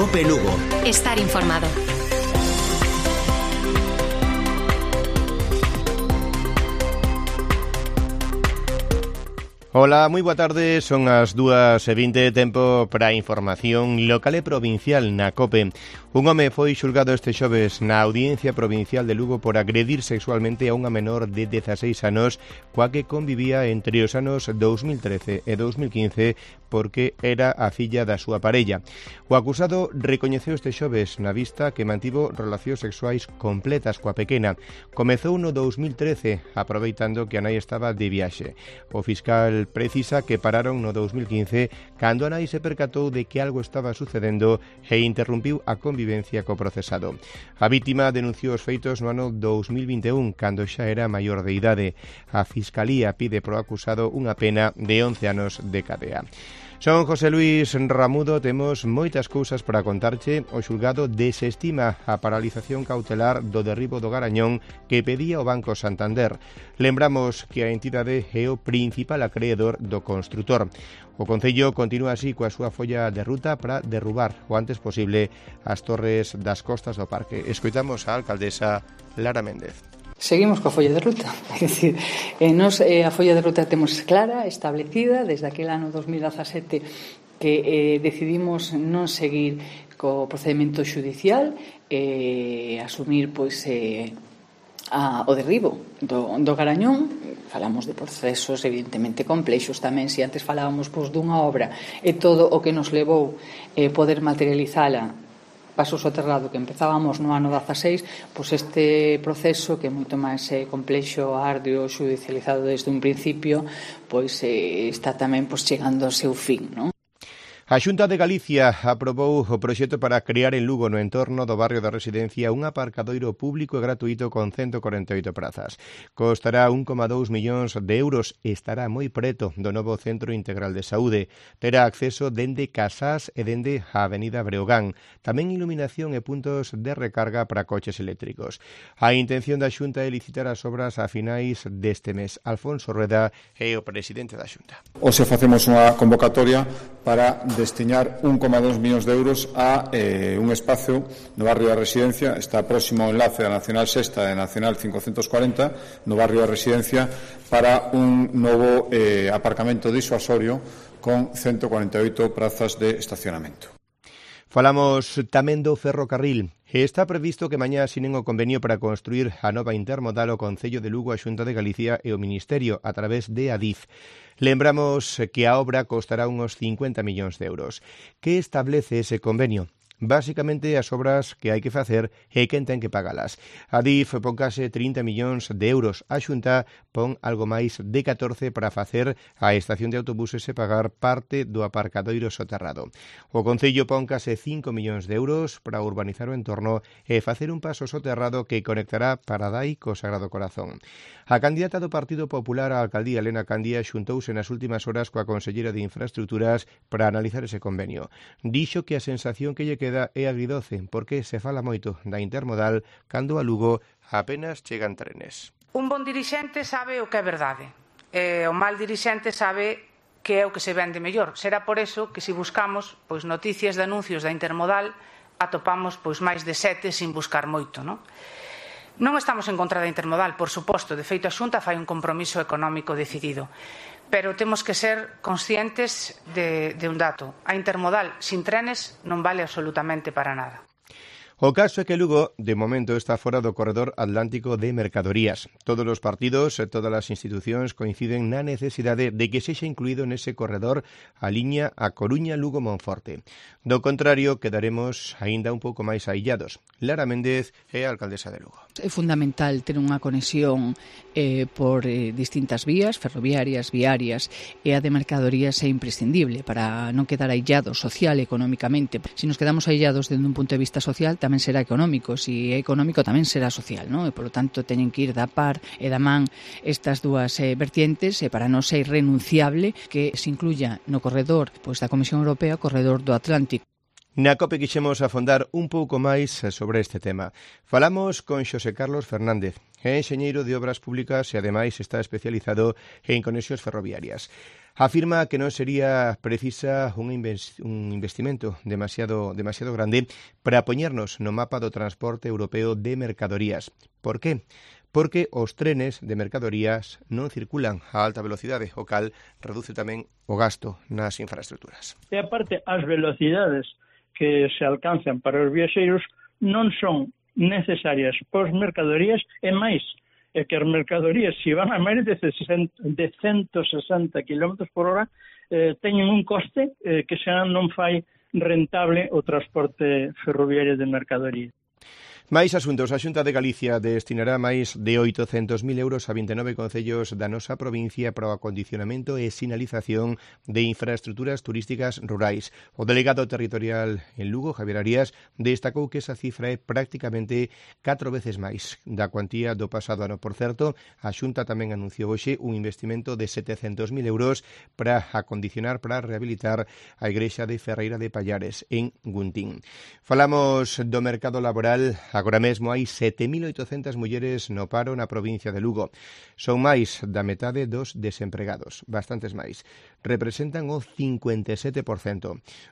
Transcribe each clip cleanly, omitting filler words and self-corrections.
COPE Lugo. Estar informado. Ola, moi boa tarde, son as 2:20, tempo para a información local e provincial na COPE. Un home foi xulgado este xoves na Audiencia Provincial de Lugo por agredir sexualmente a unha menor de 16 anos coa que convivía entre os anos 2013 e 2015 porque era a filla da súa parella. O acusado recoñeceu este xoves na vista que mantivo relacións sexuais completas coa pequena. Comezou no 2013, aproveitando que a nai estaba de viaxe. O fiscal precisa que pararon no 2015 cando a nai se percatou de que algo estaba sucedendo e interrumpiu a convivencia co procesado. A vítima denunciou os feitos no ano 2021 cando xa era maior de idade. A Fiscalía pide pro acusado unha pena de 11 anos de cadea. Son José Luis Ramudo, temos moitas cousas para contarche. O xulgado desestima a paralización cautelar do derribo do Garañón que pedía o Banco Santander. Lembramos que a entidade é o principal acreedor do construtor. O Concello continúa así coa súa folla de ruta para derrubar o antes posible as torres das costas do parque. Escoitamos a alcaldesa Lara Méndez. Seguimos coa folla de ruta, é dicir, nos a folla de ruta temos clara, establecida desde aquel ano 2017 que decidimos non seguir co procedimento xudicial e asumir pois o derribo do Garañón. Falamos de procesos evidentemente complexos tamén, se antes falábamos pois dunha obra e todo o que nos levou poder materializala paso soterrado que empezábamos no ano 16, pois este proceso que é moito máis complexo, arduo, xudicializado desde un principio, pois está tamén pois chegando ao seu fin, non? A Xunta de Galicia aprobou o proxecto para crear en Lugo, no entorno do barrio da Residencia, un aparcadoiro público e gratuito con 148 prazas. Costará 1,2 millóns de euros e estará moi preto do novo Centro Integral de Saúde. Terá acceso dende Casás e dende a Avenida Breogán. Tamén iluminación e puntos de recarga para coches eléctricos. A intención da Xunta é licitar as obras a finais deste mes. Alfonso Rueda é o presidente da Xunta. Hoxe facemos unha convocatoria para destinar 1,2 millóns de euros a un espacio no barrio da Residencia. Está próximo ao enlace da Nacional Sexta e Nacional 540 no barrio da Residencia para un novo aparcamento disuasorio con 148 prazas de estacionamento. Falamos tamén do ferrocarril. Está previsto que mañá asinen o convenio para construir a nova intermodal o Concello de Lugo, a Xunta de Galicia e o Ministerio a través de Adif. Lembramos que a obra costará unos 50 millóns de euros. Que establece ese convenio? Básicamente as obras que hai que facer e quen ten que pagalas. Adif pon case 30 millóns de euros. A Xunta pon algo máis de 14 para facer a estación de autobuses e pagar parte do aparcadoiro soterrado. O Concello pon case 5 millóns de euros para urbanizar o entorno e facer un paso soterrado que conectará Paradai co Sagrado Corazón. A candidata do Partido Popular á alcaldía, Elena Candia, xuntouse nas últimas horas coa consellera de Infraestructuras para analizar ese convenio. Dixo que a sensación que lle queda é agridoce, porque se fala moito da intermodal cando a Lugo apenas chegan trenes. Un bon dirixente sabe o que é verdade, e o mal dirixente sabe que é o que se vende mellor. Será por eso que se buscamos pois noticias de anuncios da intermodal atopamos pois máis de 7 sin buscar moito, non? Non estamos en contra da intermodal, por suposto, de feito a Xunta fai un compromiso económico decidido, pero temos que ser conscientes de un dato. A intermodal sin trenes non vale absolutamente para nada. O caso é que Lugo, de momento, está fora do corredor atlántico de mercadorías. Todos os partidos e todas as institucións coinciden na necesidade de que sexa incluído nese corredor a liña a Coruña-Lugo-Monforte. Do contrario, quedaremos aínda un pouco máis aillados. Lara Méndez é a alcaldesa de Lugo. É fundamental ter unha conexión por distintas vías, ferroviarias, viarias, e a de mercadorías é imprescindible para non quedar aillados social e económicamente. Se nos quedamos aillados dende un punto de vista social, tamén será económico, se é económico tamén será social, non? E polo tanto teñen que ir da par e da man estas dúas vertientes e para nós é irrenunciable que se incluya no corredor pois da Comisión Europea o corredor do Atlántico. Na COPE quixemos afondar un pouco máis sobre este tema. Falamos con Xosé Carlos Fernández, é enxeñeiro de obras públicas e ademais está especializado en conexións ferroviarias. Afirma que non sería precisa un investimento demasiado grande para poñernos no mapa do transporte europeo de mercadorías. Por qué? Porque os trenes de mercadorías non circulan a alta velocidade, o cal reduce tamén o gasto nas infraestructuras. E aparte, as velocidades que se alcanzan para os viaxeiros non son necesarias para as mercadorías e máis, é que as mercadorías, se van a máis de 160 km por hora, teñen un coste que xa non fai rentable o transporte ferroviario de mercadorías. Máis asuntos. A Xunta de Galicia destinará máis de 800.000 euros a 29 concellos da nosa provincia para o acondicionamento e sinalización de infraestructuras turísticas rurais. O delegado territorial en Lugo, Javier Arias, destacou que esa cifra é prácticamente 4 veces máis da cuantía do pasado ano. Por certo, a Xunta tamén anunciou hoxe un investimento de 700.000 euros para acondicionar, para rehabilitar a igrexa de Ferreira de Pallares, en Guntín. Falamos do mercado laboral. Agora mesmo hai 7.800 mulleres no paro na provincia de Lugo. Son máis da metade dos desempregados, bastantes máis. Representan o 57%.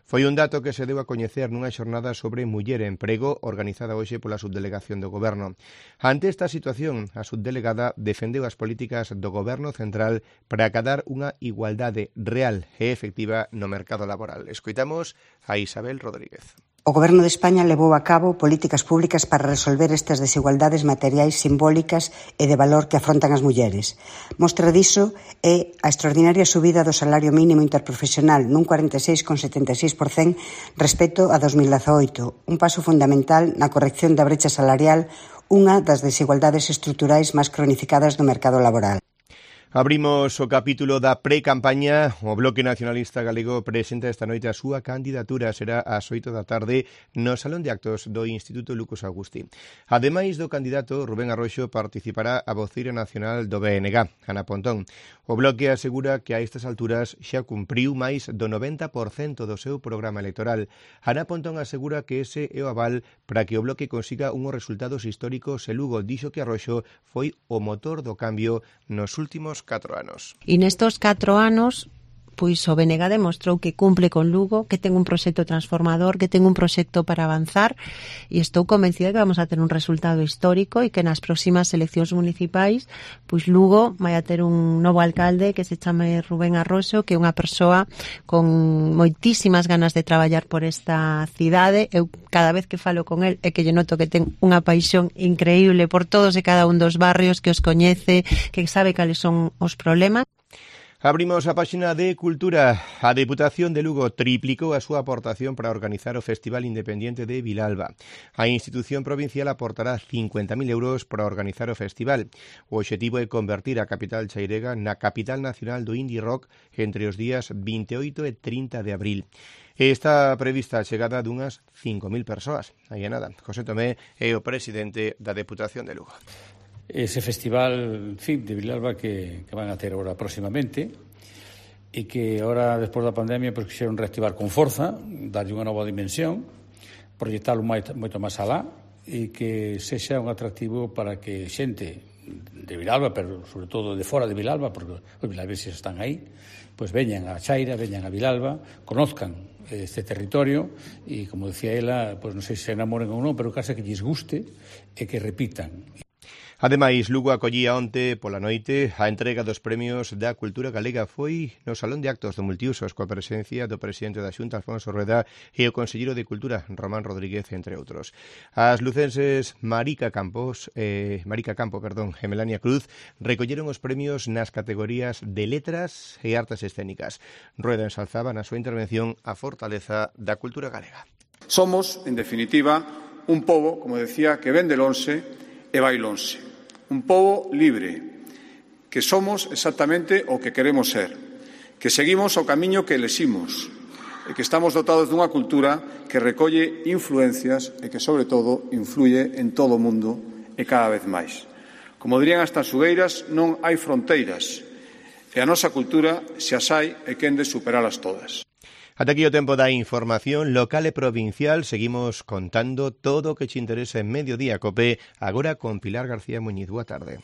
Foi un dato que se deu a coñecer nunha xornada sobre muller e emprego organizada hoxe pola subdelegación do Goberno. Ante esta situación, a subdelegada defendeu as políticas do Goberno central para acadar unha igualdade real e efectiva no mercado laboral. Escoitamos a Isabel Rodríguez. O Goberno de España levou a cabo políticas públicas para resolver estas desigualdades materiais simbólicas e de valor que afrontan as mulleres. Mostra diso é a extraordinaria subida do salario mínimo interprofesional nun 46,76% respecto a 2018, un paso fundamental na corrección da brecha salarial, unha das desigualdades estruturais máis cronificadas do mercado laboral. Abrimos o capítulo da pre-campaña. O Bloque Nacionalista Galego presenta esta noite a súa candidatura. Será ás 8 da tarde no Salón de Actos do Instituto Lucas Augusti. Ademais do candidato, Rubén Arroxo participará a voceira nacional do BNG, Ana Pontón. O Bloque asegura que a estas alturas xa cumpriu máis do 90% do seu programa electoral. Ana Pontón asegura que ese é o aval para que o Bloque consiga unhos resultados históricos e Lugo dixo que Arroxo foi o motor do cambio nos últimos 4 anos. E nestos 4 anos, pois o BNG demostrou que cumple con Lugo, que ten un proxecto transformador, que ten un proxecto para avanzar e estou convencida que vamos a ter un resultado histórico e que nas próximas eleccións municipais, pois Lugo vai a ter un novo alcalde que se chame Rubén Arroxo, que é unha persoa con moitísimas ganas de traballar por esta cidade. Eu cada vez que falo con el é que lle noto que ten unha paixón increíble por todos e cada un dos barrios, que os coñece, que sabe cales son os problemas. Abrimos a páxina de Cultura. A Deputación de Lugo triplicou a súa aportación para organizar o Festival Independiente de Vilalba. A institución provincial aportará 50.000 euros para organizar o festival. O obxectivo é convertir a capital chairega na capital nacional do indie rock entre os días 28 e 30 de abril. Está prevista a chegada dunhas 5.000 persoas. Aí é nada. José Tomé é o presidente da Deputación de Lugo. Ese festival de Vilalba que van a ter agora próximamente e que agora, despois da pandemia, pues, quixeron reactivar con forza, darlle unha nova dimensión, proyectalo moito máis alá e que sexa un atractivo para que xente de Vilalba, pero sobre todo de fora de Vilalba, porque os vilalbeses están aí, pues veñan a Chaira, veñan a Vilalba, conozcan este territorio e, como decía ela, pues non sei se enamoren ou non, pero case que lles guste e que repitan. Ademais, Lugo acollía onte pola noite a entrega dos premios da cultura galega. Foi no Salón de Actos do Multiusos coa presencia do presidente da Xunta, Alfonso Rueda, e o conselleiro de Cultura, Román Rodríguez, entre outros. As lucenses Marica Campo e Melania Cruz recolleron os premios nas categorías de Letras e Artes Escénicas. Rueda ensalzaba na súa intervención a fortaleza da cultura galega. Somos, en definitiva, un pobo, como decía, que ven de lonxe e vai lonxe. Un pobo libre, que somos exactamente o que queremos ser, que seguimos o camiño que eleximos e que estamos dotados dunha cultura que recolle influencias e que, sobre todo, influye en todo o mundo e cada vez máis. Como dirían as tanxugueiras, non hai fronteiras e a nosa cultura, se as hai, é quen de superalas todas. Ata aquí o tempo da información local e provincial. Seguimos contando todo o que te interesa en Mediodía Cope, agora con Pilar García Muñiz. Boa tarde.